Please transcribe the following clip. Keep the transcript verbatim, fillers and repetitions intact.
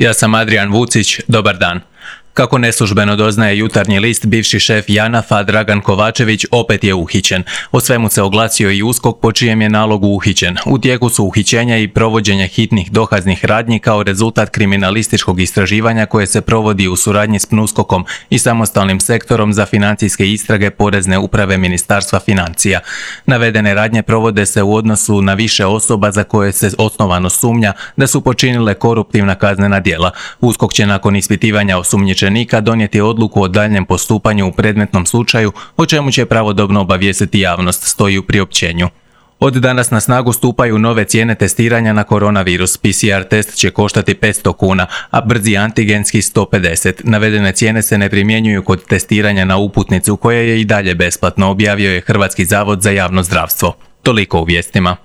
Ja sam Adrian Vucić, dobar dan. Kako neslužbeno doznaje Jutarnji list, bivši šef JANAF-a Dragan Kovačević opet je uhićen. O svemu se oglasio i USKOK po čijem je nalogu uhićen. U tijeku su uhićenja i provođenje hitnih dokaznih radnji kao rezultat kriminalističkog istraživanja koje se provodi u suradnji s PNUSKOK-om i samostalnim sektorom za financijske istrage Porezne uprave Ministarstva financija. Navedene radnje provode se u odnosu na više osoba za koje se osnovano sumnja da su počinile koruptivna kaznena djela. USKOK će nakon ispitivanja osumnjičenika donijeti odluku o daljnjem postupanju u predmetnom slučaju, o čemu će pravodobno obavijestiti javnost, stoji u priopćenju. Od danas na snagu stupaju nove cijene testiranja na koronavirus. P C R test će koštati petsto kuna, a brzi antigenski sto pedeset. Navedene cijene se ne primjenjuju kod testiranja na uputnicu, koja je i dalje besplatno, objavio je Hrvatski zavod za javno zdravstvo. Toliko u vijestima.